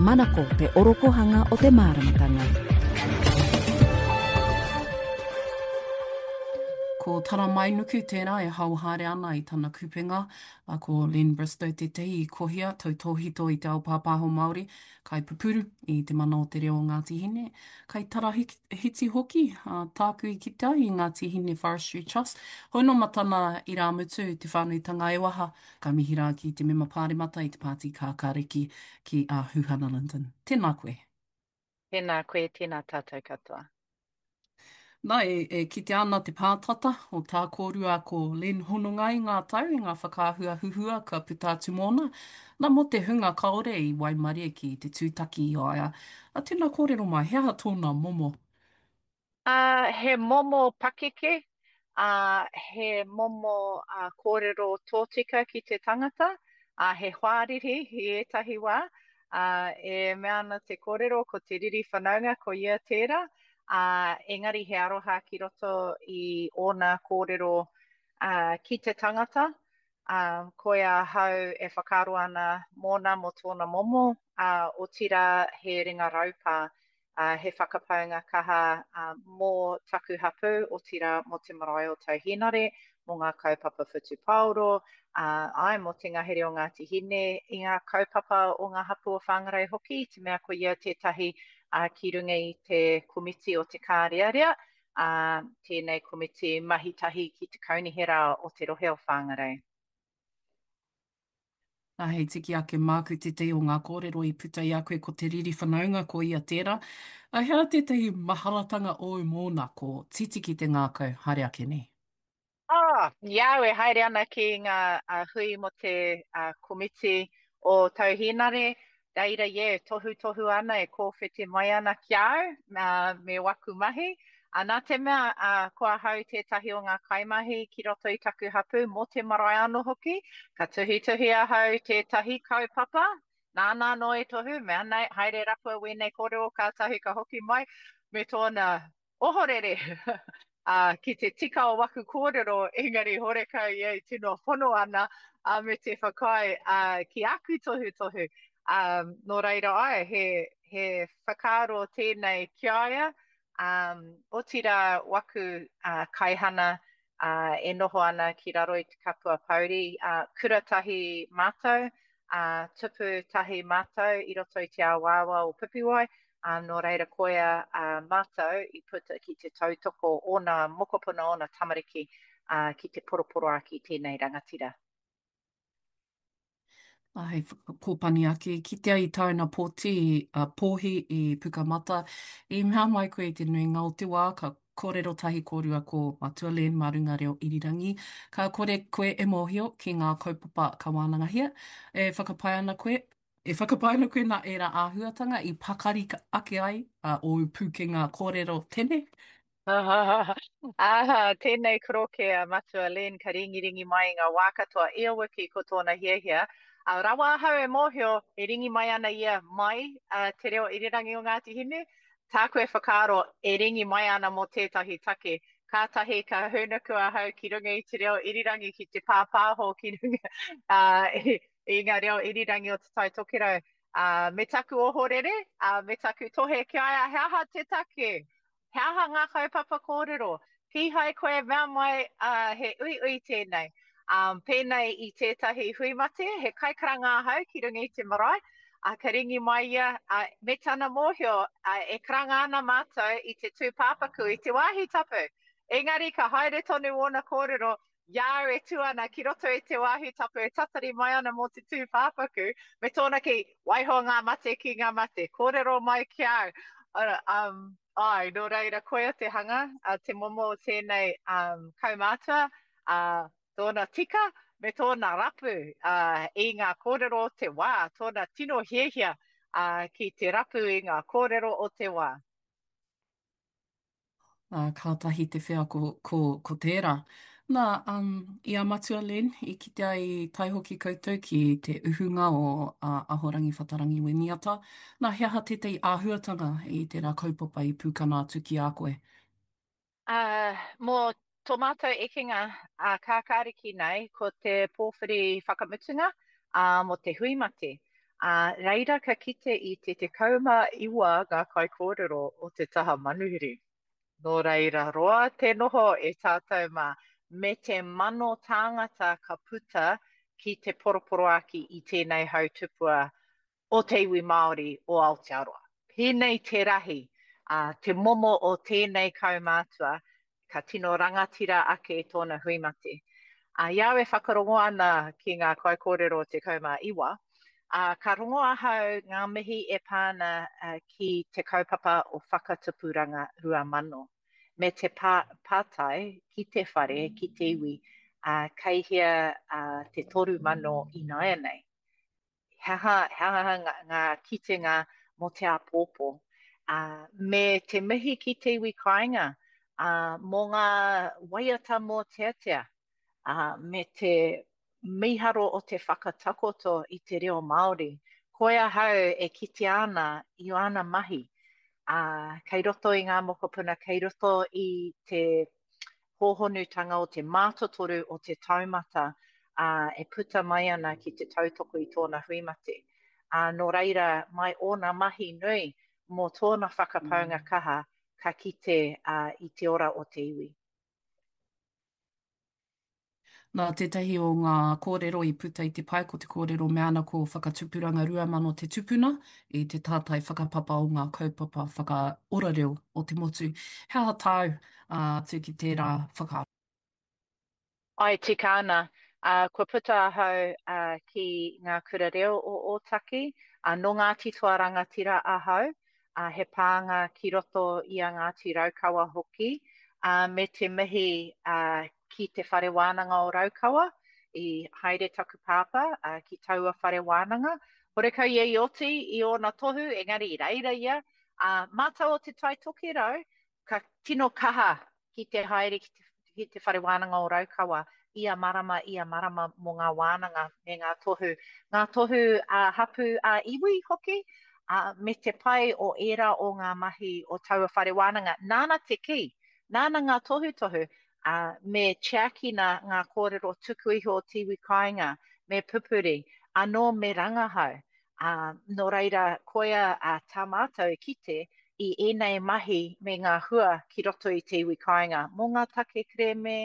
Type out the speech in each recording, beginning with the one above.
Manako te orokohanga o te māramatanga. Ko Taramainuku tērā e hao haere ana i tana kupenga, a ko Len Bristow tētahi i kohia tautōhito i te ao pāpāho Māori, kaipupuru i te mana o te reo o Ngāti Hine, kaitarahiti hoki, a, tāku i kite ai i Ngāti Hine Forestry Trust. Hoi nō ma tana irāmutu te whānuitanga e waha, Ka mihi rā ki te mema pāremata i te Pāti Kākāriki, ki a Huhana Lyndon. Tēnā koe. Tēnā koe, tēnā tātou katoa. Nā, e, e kitea ana te pātata o tā kōrua ko Len Hononga i ngā tau, i ngā whakaahua huhua kua puta atu mōna. Nā, mō te hunga kāore i waimarie ki te tūtaki i a ia, a tēnā kōrero mai, he aha tōna momo? Ā, he momo pakeke, ā, he momo kōrero tōtika ki te tangata, ā, he hoariri i ētahi wā, ā, e mea ana te kōrero ko te riri whanaunga ko ia tērā, ā, engari he aroha ki roto i ōna kōrero, ā, ki te tangata, ā, koia ahau e whakaaro ana mōna mō tōna momo, ā, otirā he ringa raupā, ā, he whakapaunga kaha mō taku hapū, otirā mō te marae o Tauhīnare, mō ngā kaupapa whutupaoro, ā, āe, mō te ngahere o Ngāti Hine, i ngā kaupapa o ngā hapū o Whangarei hoki, i te mea ko ia tētahi ki runga i te komiti o te Kārearea, ā, tēnei komiti mahi tahi ki te kaunihera o te rohe o Whangarei. Nā, hei tiki ake māku tētahi o ngā kōrero i puta i a koe ko te riri whanaunga ko ia tērā. A he aha tētahi maharatanga ōu mōna ko Titi ki te ngākau haere ake nei? Oh, i a au e haere ana ki ngā hui mō te komiti o Tau Hīnare, reira yeah, tohutohu ana e kōwhiti mai ana ki a au me waku mahi. Ā, nā te mea ko ahau tētahi o ngā kaimahi ki roto i taku hapū mō te marae anō hoki, ka tuhituhi ahau tētahi kaupapa, nāna anō e tohu, mea nei, haere rapua wēnei kōrero kātahi ka hoki mai me tōna ohorere, ā, ki te tika o waku kōrero, engari horekau ia i tino hono ana, ā, me te whakaae, ā, ki aku tohutohu. Ā, nō reira āe, he, he whakaaro tēnei ki a ia, ā, otirā waku, ā, kaihana, ā, e noho ana ki raro i te kapua pouri, ā, kura tahi mātou, ā, tupu tahi mātou i roto i te awaawa o Pipiwai, ā, nō reira koia ā, mātou i puta ki te tautoko ōna mokopuna, ōna tamariki, ā, ki te poroporoāki tēnei rangatira. Ā, hei whakakōpani ake, kitea i tāna pōti, a pōhi i Pukamata, i mea mai koe i te nuinga o te wā ka kōrero tahi kōrua ko Matua Len mā runga reo irirangi, ka kore koe e mōhio ki ngā kaupapa ka wānangahia, e whakapae ana koe, e whakapae ana koe nā ērā āhuatanga i pakari ake ai ōu pūkenga kōrero tene? Āha, tēnei koroke a Matua Len ka ringiringi mai i ngā wā katoa, ia wiki ko tōna hiahia. Ā, rawa ahau e mōhio e ringi mai ana ia mai te reo irirangi o Ngāti Hine, tāku e whakaaro e ringi mai ana mō tētahi take. Kātahi ka hūnuku ahau ki runga i te reo irirangi ki te pāpāho ki runga i ngā reo irirangi o Te Tai Tokerau. Ā, me taku ohorere, ā, me taku tohe ki a ia, he aha te take? He aha ngā kaupapa kōrero? Kīhai koe e mea mai, ā, he uiui tēnei. Ā, pēnei i tētahi hui mate, he kaikaranga ahau ki runga i te marae, ā, ka ringi mai ia, ā, me tana mōhio, ā, e karanga ana mātou i te tūpāpaku i te wāhi tapu. Engari ka haere tonu ōna kōrero, i a au e tū ana ki roto i te wāhi tapu e tatari mai ana mō te tūpāpaku, me tōna kī, waiho ngā mate ki ngā mate, kōrero mai ki a au. Um, āe, nō reira, koia te hanga, uh, te momo o tēnei um, kaumātua, uh, tōna tika me tōna rapu uh, i ngā kōrero o te wā, tōna tino hiahia uh, ki te rapu i ngā kōrero o te wā. Ā, kātahi te wheako ko, ko tērā. Nā, um, i a Matua Len, i kitea i tae hoki koutou ki te uhunga o uh, Ahorangi Whatarangi Winiata. Nā, he aha tētahi āhuatanga i tērā kaupapa i pūkana atu ki a koe? Ā, mō tō mātou ekenga ā kākāriki nei, ko te pōwhiri whakamutunga, ā, mō te hui mate. Ā, reira ka kite i te 19 ngā kaikōrero o te taha manuhiri. Nō reira roa te noho e tātou mā, me te mano tāngata ka puta ki te poroporoāki i tēnei hau tupua o te iwi Māori o Aotearoa. Pēnei te rahi, ā, te momo o tēnei kaumātua, ka tino rangatira ake tōna hui mate. Ā, i a au e whakarongo ana ki ngā kaikōrero 19, ā, ka rongo ahau ngā mihi e pā ana ki te kaupapa o Whakatupuranga 2000, me te pā, pātai ki te whare, ki te iwi, ā, kei hea te 3000 ināianei? He aha, he aha ngā, ngā kitenga mō te āpōpō? Ā, me te mihi ki te iwi kāinga, ā, mō ngā waiata mōteatea, ā, me te mīharo o te whakatakoto i te reo Māori. Koi ahau e kitea ana i āna mahi, ā, kei roto i ngā mokopuna, kei roto i te hōhonutanga o te mātotoru o te taumata, ā, e puta mai ana ki te tautoko i tōna hui mate. Ā, nō reira, mai ōna mahi nui mō tōna whakapaunga kaha, ka kite, ā, i te ora o te iwi. Nā tētahi o ngā kōrero i puta i te pae ko te kōrero mea ana ko Whakatupuranga 2000 te tupuna i te tātai whakapapa o ngā kaupapa whakaora reo o te motu. He aha tāu atu ki tērā whakaaro? Āe, tika ana. Kua puta ahau ki ngā kura reo o Ōtaki. Nō Ngāti Toa Rangatira ahau, ā, he pānga ki roto i a Ngāti Raukawa hoki, ā, me te mihi, ā, ki Te Whare Wānanga o Raukawa, i haere taku pāpā, ā, ki taua whare wānanga. Horekau ia i oti i ōna tohu, engari i reira ia, ā, mātou o Te Tai Tokerau, ka tino kaha ki te haere ki te, ki te Whare Wānanga o Raukawa ia marama, ia marama mō ngā wānanga me ngā tohu, ngā tohu ā-hapū, ā-iwi hoki, ā, me te pai o ērā o ngā mahi o taua whare wānanga. Nāna te kī, nāna ngā tohutohu, ā, me tiakina ngā kōrero tuku iho o te iwi kāinga, me pupuri, anō me rangahau. Ā, nō reira, koia ā, tā mātou e kite i ēnei mahi me ngā hua ki roto i te iwi kāinga, mō ngā take kerēme,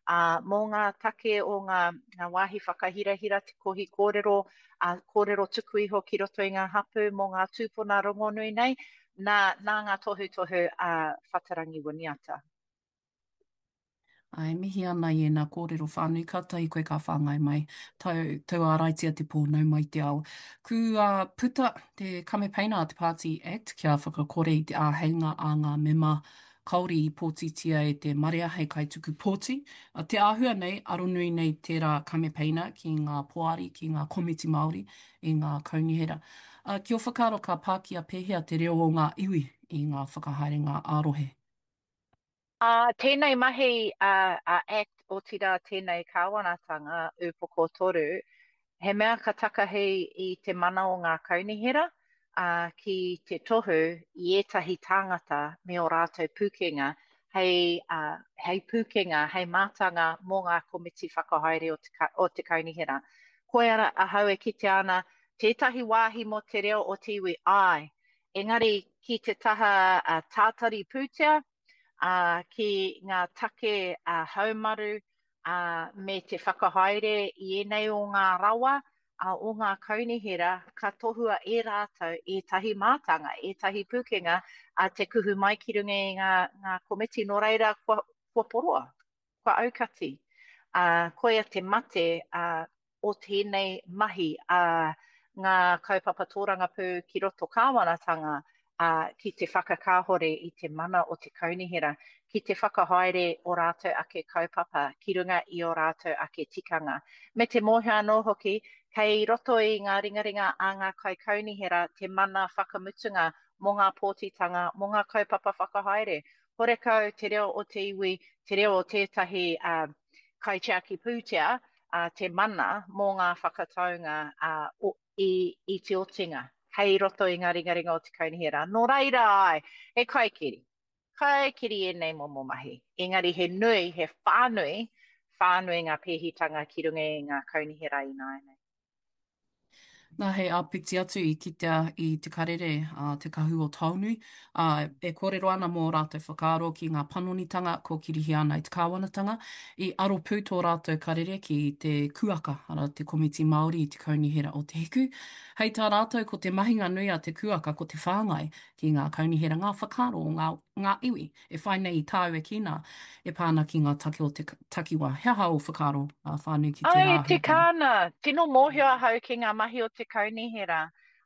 ā, mō ngā take o ngā, ngā wāhi whakahirahira, te kohi kōrero, ā, kōrero tuku iho ki roto i ngā hapū mō ngā tūpuna rongonui nei, nā, nā ngā tohutohu a Whatarangi Winiata. Ā, e mihi ana i ēnā kōrero whānui kātahi koe ka whāngai mai. Tau, tauāraitia te pō, nau mai te ao. Kua puta te kamepeina a te Pāti Act kia whakakore i te āheinga a ngā mema kāore i pōtitia e te marea hei kaituku pōti. Te āhua nei, aronui nei tērā kamepeina ki ngā poari, ki ngā komiti Māori i ngā kaunihera. Ki ō whakaaro ka pākia pēhea te reo o ngā iwi i ngā whakahaerenga ā-rohe? Ā, tēnei mahi a, a act, otirā tēnei kāwanatanga, Ūpoko 3, he mea ka takahi i te mana o ngā kaunihera, ā, ki te tohu i ētahi tāngata me ō rātou pūkenga hei, ā, hei pūkenga, hei mātanga mō ngā komiti whakahaere o te, o te kaunihera. Koia ahau e kitea ana tētahi wāhi mō te reo o te iwi, āe, engari ki te taha tātari pūtea, ā, ki ngā take haumaru, ā, me te whakahaere i ēnei o ngā rawa, ā, o ngā kaunihera, ka tohua e rātou ētahi mātanga, ētahi pūkenga, ā, te kuhu mai ki runga i ngā, ngā komiti, nō reira kua, kua poroa, kua aukati. Ā, koia te mate, ā, o tēnei mahi a ngā kaupapa tōrangapū ki roto kāwanatanga, ā, ki te whakakāhore i te mana o te kaunihera, ki te whakahaere o rātou ake kaupapa ki runga i ō rātou ake tikanga. Me te mōhio anō hoki, kei roto i ngā ringaringa a ngā kaikaunihera te mana whakamutunga mō ngā pōtitanga, mō ngā kaupapa whakahaere. Horekau te reo o te iwi, te reo o tētahi kaitiaki pūtea, a te mana mō ngā whakataunga a, o, i, i te otinga, kei roto i ngā ringaringa o te kaunihera. Nō reira ai, he kaikiri. Kaikiri ēnei momo mahi. Engari he nui, he whānui, whānui ngā pēhitanga ki runga i ngā kaunihera ināianei. Nā, hei āpiti atu i kitea i te karere a Te Kahu o Taonui, ā, e kōrero ana mō ō rātou whakaaro ki ngā panonitanga kōkirihia ana e te kāwanatanga. I aro pū tō rātou karere ki te kuaka, arā, te Komiti Māori i te Kaunihera o Te Hiku. Hei tā rātou ko te mahinga nui a te kuaka ko te whāngai ki ngā kaunihera ngā whakaaro o ngā, ngā iwi. E whai nei i tāu e kī nā, e pā ana ki ngā take o te takiwā. He aha ō whakaaro whānui ki tērā Ai, tika āhuatanga? ana. Tino mōhio ahau ki ngā mahi o te kaunihera,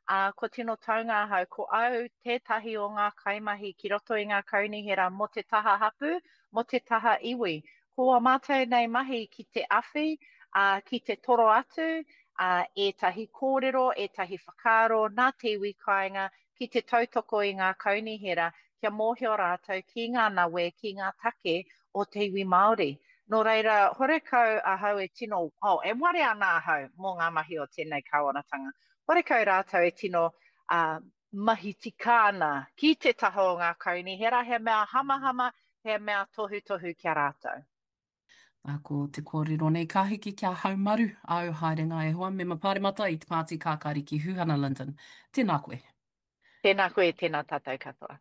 ā, kua tino taunga ahau. Ko au tētahi o ngā kaimahi ki roto i ngā kaunihera mō te taha hapū, mō te taha iwi. Ko ā mātou nei mahi ki te awhi, ā, ki te toro atu, ā, ētahi kōrero, ētahi whakaaro nā te iwi kāinga ki te tautoko i ngā kaunihera kia mōhio rātou ki ngā nawe, ki ngā take o te iwi Māori. Nō reira, horekau ahau e tino, oh, e warea ana ahau mō ngā mahi o tēnei kāwanatanga. Horekau rātou e tino uh, mahi tika ana ki te taha o ngā kaunihera, he mea hamahama, he mea tohutohu ki a rātou. Ā, ko te kōrero nei ka hiki kia haumaru āu haerenga e hoa, Mema Pāremata i te Pāti Kākāriki Huhana Lyndon. Tēnā koe. Tēnā koe, tēnā tātou katoa.